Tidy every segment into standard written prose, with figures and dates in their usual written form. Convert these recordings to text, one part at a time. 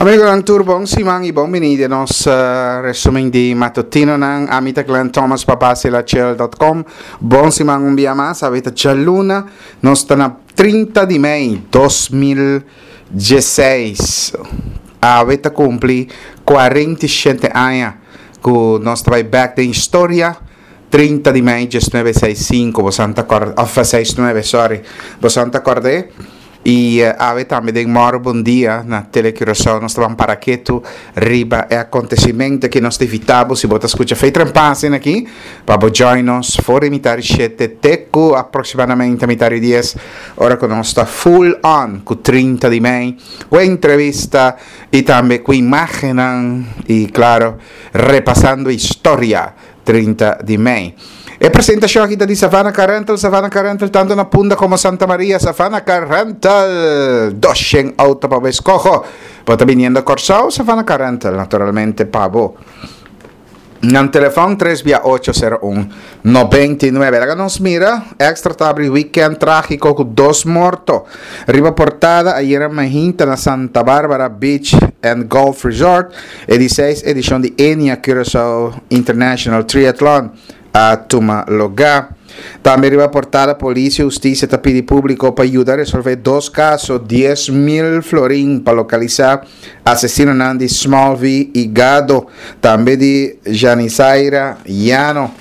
Amigonan tur bon siman y bon bini den nos resumen di matutinonan. Ami ta Glenn Thomas pa basilachel.com. Bon siman un bia mas. Awe ta djaluna. Nos ta na 30 di mei 2016. Awe ta cumpli 47 aña cu nos ta bay back den historia. 30 di mei 1965 bosan ta corda, of 69 sorry, bosan ta cord'e? Y awe tambe den Moro Bon Dia na Tele Curaçao nos ta ban para ketu riba e acontecimento aki. Nos ta invita bo si bo ta scucha Fe Trempa asina aki pa bo join nos for di mitad di shete te cu aproximadamente mitad di dies ora cu nos ta full on cu 30 di mei cu entrevista y tambe cu imagennan y claro repasando historia. 30 di mei. E presentacion aki ta di Savannah Car Rental, Savannah Car Rental tanto na Punda como Santa Maria, Savannah Car Rental, 200 auto pa bo escoho. Bo ta biniendo Corsou, Savannah Car Rental, naturalmente pa bo. Nan telefon 3 via 801 99. Laga nos mira, Extra ta abri weekend tragico cu dos morto. Riba portada ayera mahinta na Santa Barbara Beach and Golf Resort, E di seis edishon di Enia Curaçao International Triathlon a tuma lugá. Tambe riba portada polis i hustisia ta pidi públiko pa yuda resolvé dos kaso 10,000 florin pa lokalisá asesinonan di Smallvie i Gado, tambe di Janizaira Llano.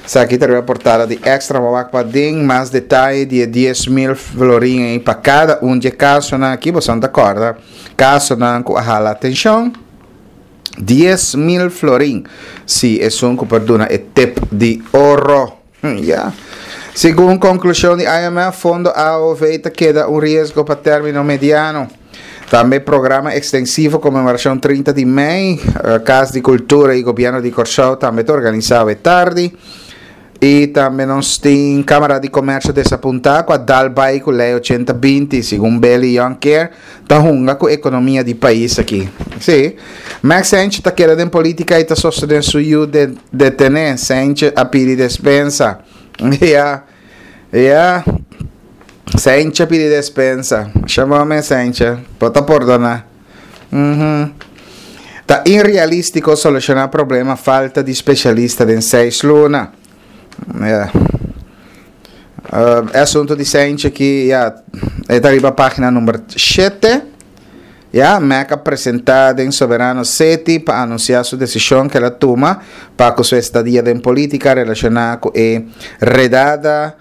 Esaki ta riba portada di Extra. Bo wak paden mas detaye di e 10,000 florin ei pa kada un dje kasonan aki. Boso ta kòrda. Kasonan ku a hala atenshon, 10,000 florin si esun ku por duna e tip di oro. Ya. Segun konklushon di IMF, fondo AOV ta keda un riesgo pa término mediano. Tambe programa ekstensivo konmemorashon 30 di mei, Kas di Kultura i Gobièrnu di Kòrsou tambe ta organisá awe tardi. I tambe nos tin Kamara di Komersio desapuntá ku a dal bai ku Lei ochenta binti, segun Billy Jonckheer, ta hunga ku ekonomia di pais aki. Sí, Max Sentje ta keda den politika i ta sostené su yu detené. Sentje a pidi despensa. Ya, ya. Sentje a pidi despensa. Masha bon mes, Sentje. Bo ta pordoná. Ta inrealístiko solushoná problema falta di spesialista den seis luna. Ya. E asuntu di Sentje aki, ya, e ta riba página number shete. Ya, Mac a presentá den Soberano City pa anunsiá su desishon ku el a tuma pa ku su estadia den polítika relashoná ku e redada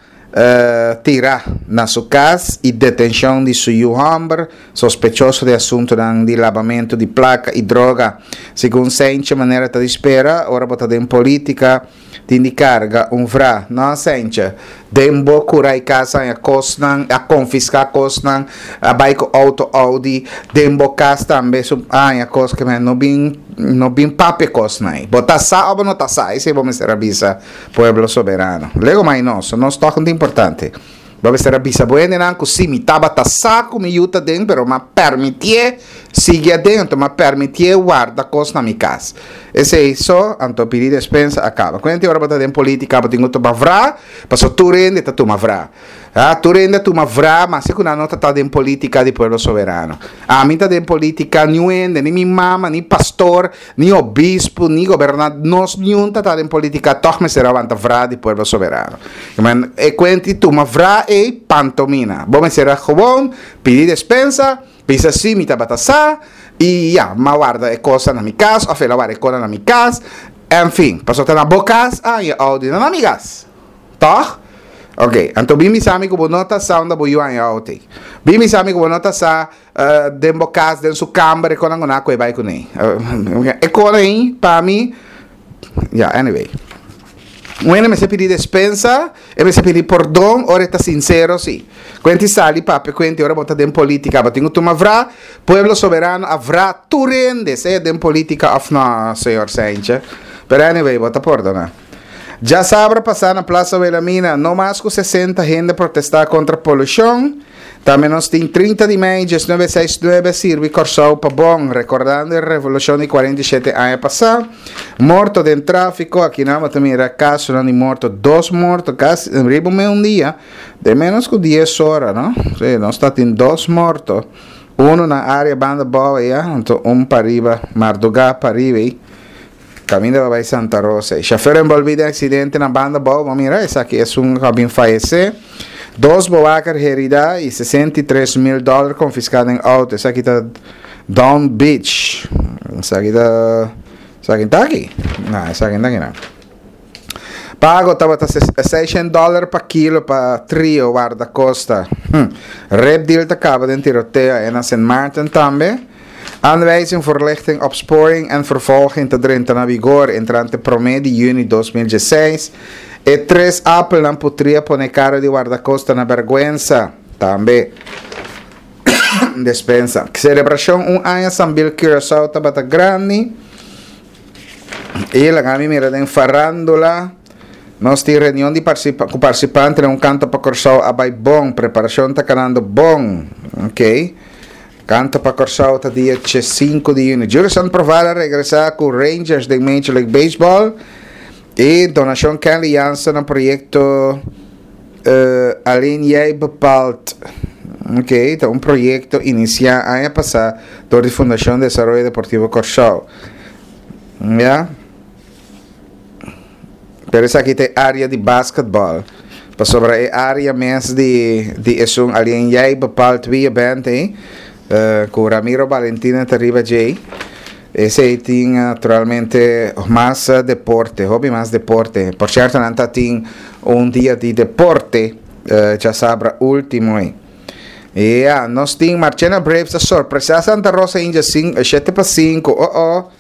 tirá na su kas i detenshon di su yu hòmber sospechoso di asuntunan di labamentu di plaka i droga. Segun Sentje manera ta di spera ora bo ta den polítika tin di karga un vra. No, Sentje, den bo kura i kas haña kosnan, a konfiská kosnan, a bai ku outo Audi, den bo kas tambe su a haña kos ke men no bin no bin papia kosnan ei. Bo ta sa o bo no ta sa? Esei bo mester a bisa. Pueblo Soberano. Lego mai nos, nos tog un importante. Bo mester a bisa bo hendenan ku si mi tabata sa ku mi yu ta den, pero m'a permitié sigui aden, anto m'a permitié warda kos na mi kas. Esei so, anto pidi despensa a kaba. Kuenti ora bo ta den politika bo tin ku tuma vra, pasobra tur hende ta tuma vra. A Tur hende a tuma vra, maske ku nan no ta ta den politika di Pueblo Soberano. Ami ta den politika, niun hende, ni mi mama, ni pastor, ni obispo, ni gobernador, nos niun ta ta den politika, tòg mester a wanta vra di Pueblo Soberano. Men, e kuenti tuma vra ei, pantomina. Bo mester a gewoon pidi despensa, bisa si mi tabata sa, i ya, m'a warda e kosa na mi kas, òf el a warda e kona na mi kas, enfin, pasobra ta na bo kas a haña oudio, no na mi kas. Tòg? Ok, anto bin bisa mi ku bo no ta sa unda bo yu haña outo ei. Bin bisa mi ku bo no ta sa den bo kas, den su kamber, e konan ku nan a kohe bai kuné. E kona ei, pa mi, ya, anyway. Un hende mester pidi despensa, e mester pidi pordon ora e ta sinsero, si. Kuenti sali papia kuenti ora bo ta den politika, bo tin ku tuma vra, Pueblo Soberano a vra tur hende, sea den politika òf no, señor Sentje. Pero anyway, bo ta pordoná. Djasabra pasá na Plaza Wilhelmina no mas ku 60 hende protestá kontra polushon. Tambe nos tin 30 di mei 1969 sirbi Kòrsou pa bon, rekordando e revolushon di 47 aña pasá. Morto den tráfiko, akinan bo ta mira kasonan di morto, dos morto kasi riba un dia, den ménos ku dies ora, no? Sí, nos ta tin dos morto. Uno na área banda bou aya, anto un pariba, mardugá pariba ei. Kaminda pa bai Santa Rosa. E shofèr enbolbí den aksidente na banda bou, bo mira esaki esun ku a bin fayesé. Dos bowaker heridá i 63 mil dòler konfiská den outo. Esaki ta Down Beach. Esaki ta esaki ta aki? No, esaki no ta aki no. Pago tabata 600 dòler pa kilo pa trio wardakosta. Rape deal ta kaba den tiroteo na St. Maarten tambe. Aanwijzing verlichting opsporing en vervolging ta drenta na vigor entrante 1 di yüni 2016. E tres appelnan putri a pone kara di wardakosta na bergwensa. Tambe. Despensa. Selebrashon un aña Sambil Curaçao tabata grandi. I laga mi mira den farándula. Nos tin reunion di ku partisipante den un Kanto pa Kòrsou a bai bon. Preparashon ta kanando bon. Ok. Kanto pa Kòrsou ta dia 5 di yüni. Jurison Provar a regresá ku Rangers den Major League Baseball. I donashon Kenley Jansen na proyekto Alleen Jij Bepaalt. Ok, ta un proyekto inisiá aña pasá dor di Fundashon Desaroyo Deportivo Kòrsou. Ya. Pero esaki ta e área di basketball. Pasobra e área mes di esun Alleen Jij Bepaalt Wie Je Bent ei, ku Ramiro Valentina ta riba djei. Esei tin naturalmente mas deporte, hopi mas deporte. Por sierto nan ta tin un dia di deporte djasabra último ei. Ya, nos tin Marchena Braves a sorpresá Santa Rosa Indians 7-5. Oh oh.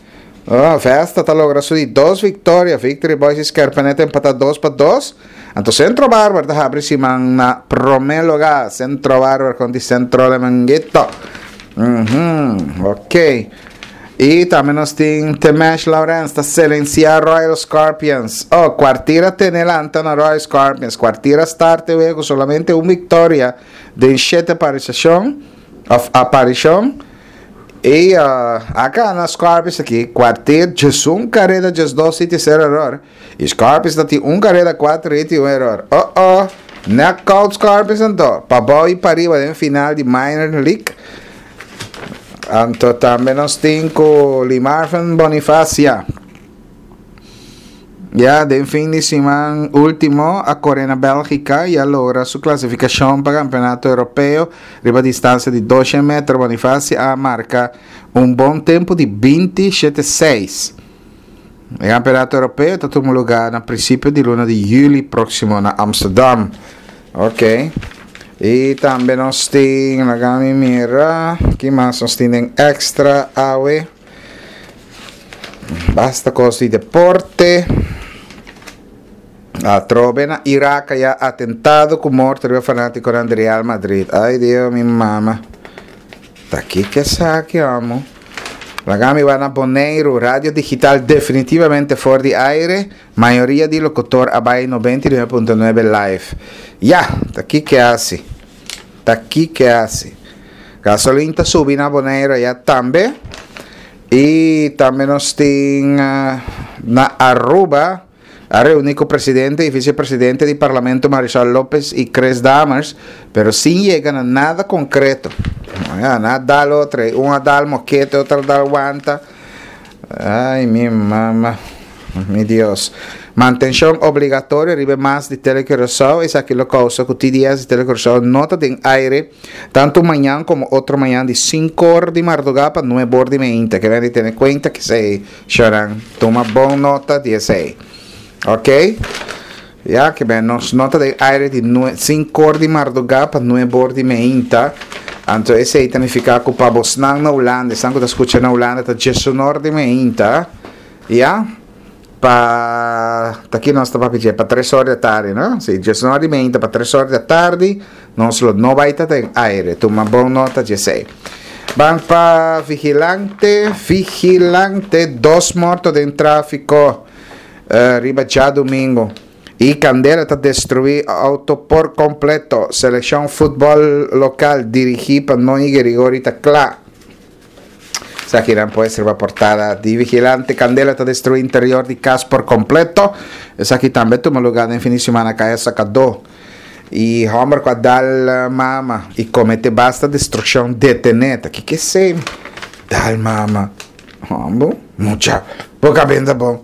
Oh, Vesta ta logra su di dos viktoria. Victory Boys i Skerpenet empatá 2-2. Anto Centro Barber ta habri siman na promé lugá. Centro Barber kontra Centro de Manguito. Ok. I tambe nos tin Temesh Lawrence ta silensiá Royal Scorpions. Oh, Kwartier a tene lanta na Royal Scorpions. Kwartier a start e wega ku solamente un viktoria den shete aparisashon òf aparishon. I a gana Scorpions aki Kwartier 11 kareda 12 hit i sero eror. I Scorpions ta tin un kareda kuater hit i un eror. Oh oh, knockout Scorpions anto. Pabou i pariba den final di Minor League. Anto tambe nos tin ku Limarvin Bonifacia. Ya den fin di siman último a kore na Bélgika i a logra su klasifikashon pa Kampeonato Europeo riba distansia di 200 meter. Bonifacia a marka un bon tempu di 20 7 6. E Kampeonato Europeo ta tuma lugá na prinsipio di luna di yüli próksimo na Amsterdam. Ok. I tambe nos tin, laga mi mira, ki mas nos tin den extra awe? Basta kos di deporte. Atrobe na Irak ya atentado ku morto riba fanátikonan di Real Madrid. Ai Dios, mi mama. Ta kiko esaki, amo? Laga mi bai na Boneiru, radio digital definitivamente for di aire. Mayoria di lokutor a bai 99.9 live. Ya, ta kiko hasi? Ta kiko hasi? Gasolin ta subi na Boneiru ya tambe. I tambe nos tin na Aruba a reuní ku presidente i visepresidente di parlamento Marisol Lopez i Chris Dammers, pero sin yega na nada konkreto. Ya, nan a dal otro, un a dal mokete, otro a dal wanta. Ai, mi mama, mi Dios. Mantenshon obligatorio riba e mast di Telecuraçao, esaki lo kousa ku TDS di Telecuraçao no ta den aire tantu mañan komo otro mañan di 5 or di mardugá pa 9 or di meinta. Ke men di tene kuenta ku esei, shornan. Tuma bon nota di esei. Ok? Ya, ke men nos no ta den aire di 5 or di mardugá pa 9 or di meinta. Anto esei ta nifiká ku pa bosnan na Hulanda, esnan ku ta skucha na Hulanda ta 11 or di meinta. Ya? Pa ta ki nos ta papia dje? Pa 3 or di atardi, no? Si, 11 or di meinta pa 3 or di atardi, nos lo no bai ta den aire. Tuma bon nota di esei. Ban pa Vigilante, Vigilante, dos morto den tráfiko riba djadumingu. I kandela ta destruí outo por kompleto. Selekshon futbòl lokal dirigí pa Noñi Gerigori ta kla. Esakinan pues riba portada di Vigilante. Kandela ta destruí interior di kas por kompleto. Esaki tambe tuma lugá den fin di simana Kaya Sakadó. I hòmber ku a dal mama i kometé basta destrukshon detené. Ta kiko esei? Dal mama. Hòmber, mucha, bo kabenta bon.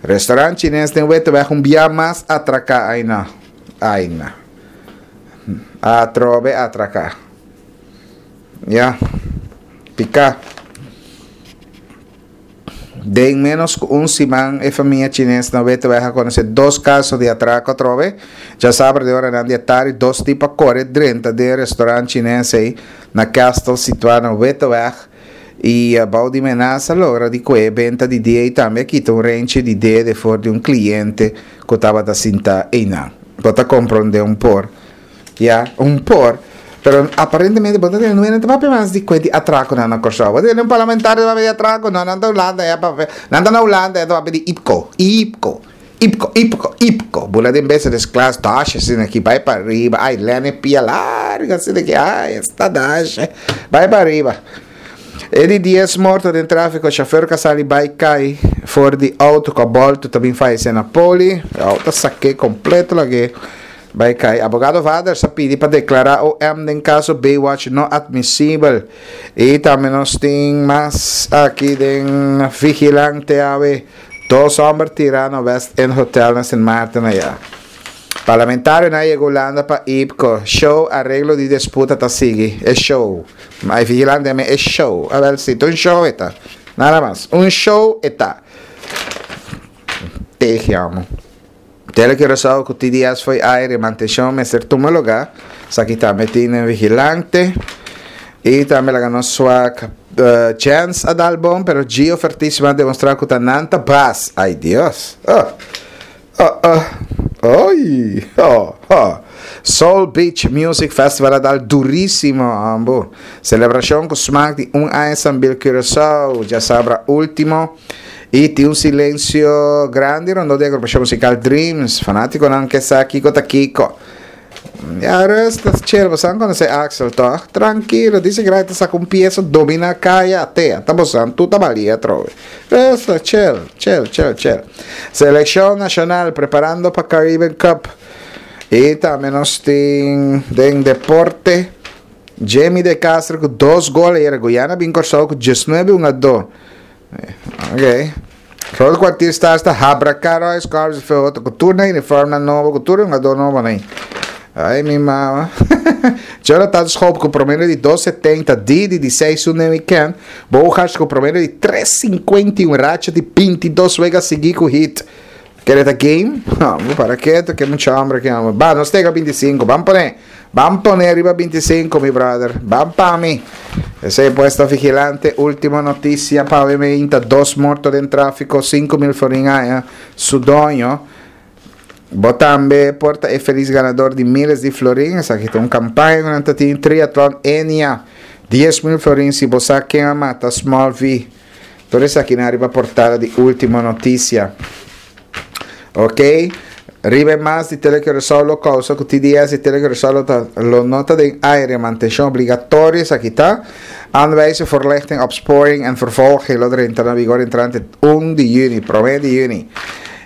Restaurant chines den Weteweg un bia mas atraká. Ai no, ai no. Atrobe atraká. Ya, piká. Den ménos ku un siman e famia chines na Weteweg a konosé dos kaso di atrako atrobe. Djasabra den oranan di atardi dos tipo a kore drenta den e restaurant chines ei na Castle situá na Weteweg i bou di menasa logra di kue e benta di dia i tambe a kita un renchi di dede for di un kliente ku tabata sintá einan. Bo ta komprondé un por. Ya, un por. Pero aparentemente bo ta tene nuenan ta papia mas di kue di atrakonan na Kòrsou. Bo ta tene un parlamentario ta papia di atrako? No, nan ta Hulanda ya papia. Nan ta na Hulanda ya ta papia di IPKO. IPKO. IPKO, IPKO, IPKO. Bula den business class, dash asina aki, bai pa riba. Ai, lene pia larga asina aki. Ai, esta dash. Bai pa riba. E di dies morto den tráfiko, shofèr ku a sali bai kai for di outo ku a bòltu ta bin fayesé na poli. E outo a sak'é kompleto lag'é. Bai kai. Abogado Vaders a pidi pa deklará OM den kaso Baywatch no atmisibel. I tambe nos tin mas aki den Vigilante awe. Dos hòmber tirá na West End Hotel na Sint Maarten ayá. Parlamentarionan a yega Hulanda pa IPCO. Show areglo di disputa ta sigui. E show. Ma e Vigilante a mi e show. Awèl si, ta un show e ta. Nada mas. Un show e ta. Tehi amo. Tele Curaçao ku TDS fo'i aire mantenshon mester tuma lugá. Esaki tambe tin den Vigilante. I tambe laga nos swak Chance a dal bon pero Gio Fertísimo a demostrá ku ta nan ta bas. Ay Dios! Oh! Oh oh! Oy! Oh oh! Soul Beach Music Festival a dal durísimo ambu. Selebrashon ku smak di un aña Sambil Curaçao djasabra último. I tin un silensio grandi rondó di agrupashon musikal Dreams. Fanátikonan ke sa kiko ta kiko. Ya rustig, chill. Bosan konosé Axel, tòg? Trankilo. Dice ku ta saka un piesa dominá kaya atea. Ta bosan tur ta balia atrobe. Rustig, chill, chill, chill, chill. Selekshon nashonal preparando pa Caribbean Cup. I tambe nos tin den deporte Jamie de Castro ku dos gol ayera. Guyana bin Kòrsou ku diesnuebe un a do. Ok. Rol Kwartier Stars ta habraká Royce Corps fe otro ku tur nan uniformnan nobo, ku tur hungadó nobo nan. Ai mi mama. Jonathan Schoop ku promedio di dos setenta, Didi di seis un den weekend, Bogaerts ku promedio di tres sinkuenta i un racha di bintidos wega sigui ku hit. Kere ta game? No, para keto ke mucha hombre ke hombre. Ba, nos tega 25. Ban pone. Ban pone riba 25, mi brother. Ban pa mi. Esei puesta vigilante. Ultimo noticia pa hoy meinta. Dos morto den tráfico. 5.000 florin aña. Su doño. Bo tambe por ta e feliz ganador di miles di florin. Esaki ta un campaña ku nan ta tin. Triathlon Enia. 10.000 florin si bo sa ken a mata Small V. Tur esaki nan riba portada di Ultimo Noticia. Ok, riba e mas di Tele Curaçao lo causa cu TDS di Tele Curaçao lo, ta, lo no ta den aire. Mantencion obligatorio esaki ta. Aanwijzen voorlichting, opsporing en vervolging lo drenta na vigor entrante 1 di juni, prome di juni.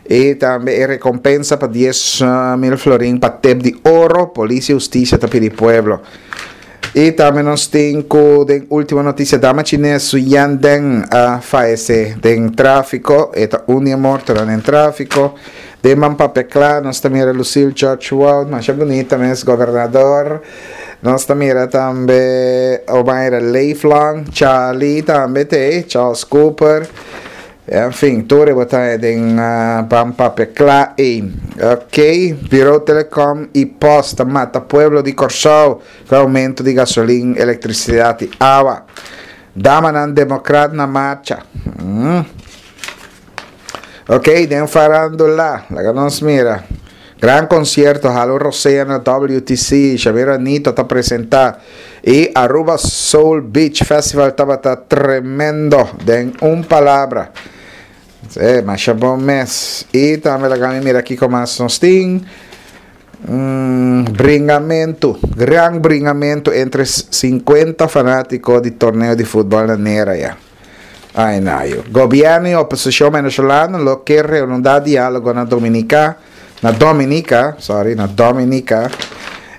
Y tambe e recompensa pa 10 mil florin pa tip di oro, Polis y Husticia ta pidi pueblo. Y tambe nos tin cu den ultimo noticia dama chines Su Yan Deng a fayece den trafico. E ta un di e mortonan den trafico. Den man papia cla nos ta mira Lucille George Wout, masha bunita mes, gobernador. Nos ta mira tambe Omaira Leeflang, Charlie tambe te, Charles Cooper. En fin, tur e bo ta haña den Ban Papia Kla ei. Ok, Bureau Telecom i Post ta mata pueblo di Kòrsou ku aumento di gasolin, elektrisidat i awa. Damanan demokrat na marcha. Ok, den farandula, laga nos mira. Gran concierto Halo Rosea na WTC, Xavier Anito ta presenta y Aruba Soul Beach Festival tabata tremendo den un palabra. Eh, masha bon mes. Y tambe laga mi mira kico mas nos tin. Mm, bringamento, gran bringamento entre 50 fanatico di torneo di futbol na Nera ya. Ay nayo. Gobierno y oposicion venezolano lo ke reanudá diálogo na Dominica. Na Dominica, sorry, na Dominica.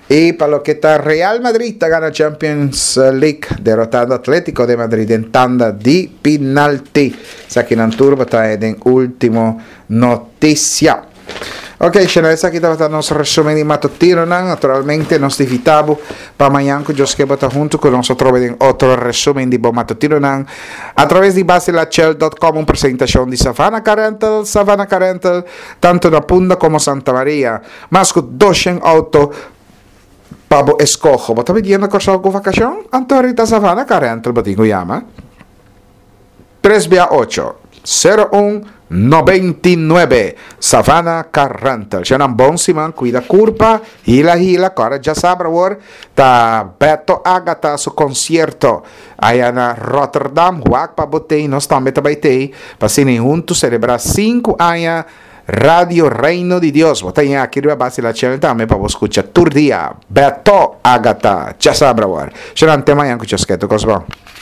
Y pa loke ta Real Madrid ta gana Champions League derotando Atletico de Madrid den tanda di pinalti. Esakinan tur bo ta den ultimo noticia. Ok, Shana, esaki tabata nos resumen di matutinonan. Naturalmente, nos ta invita bo pa mañan ku Dios ke bo ta huntu ku nos atrobe den otro resumen di bo matutinonan a traves di basilachel.com, un presentacion di Savannah Car Rental, Savannah Car Rental, tanto na Punda como Santa Maria. Mas ku doshen auto pa bo eskoho. Bo ta pidiendo Kòrsou ku vakashon? Anto rita Savannah Car Rental bo tin ku yama. Tres bia ocho, sero un, 99. Savannah Car Rental. Shownan bon siman, kuida kurpa, hila hila, kòrda djasabra awor ta Beto Agatha su konsierto aya na Rotterdam. Wak pa bo tei, nos tambe ta bai tei pa asina huntu selebrá sinku aña Radio Reino di Dios. Bo ta ña aki riba Basi La Channel tambe pa bo skucha tur dia Beto Agatha djasabra awor. Shownan te mañan ku Chosketo Kosbon.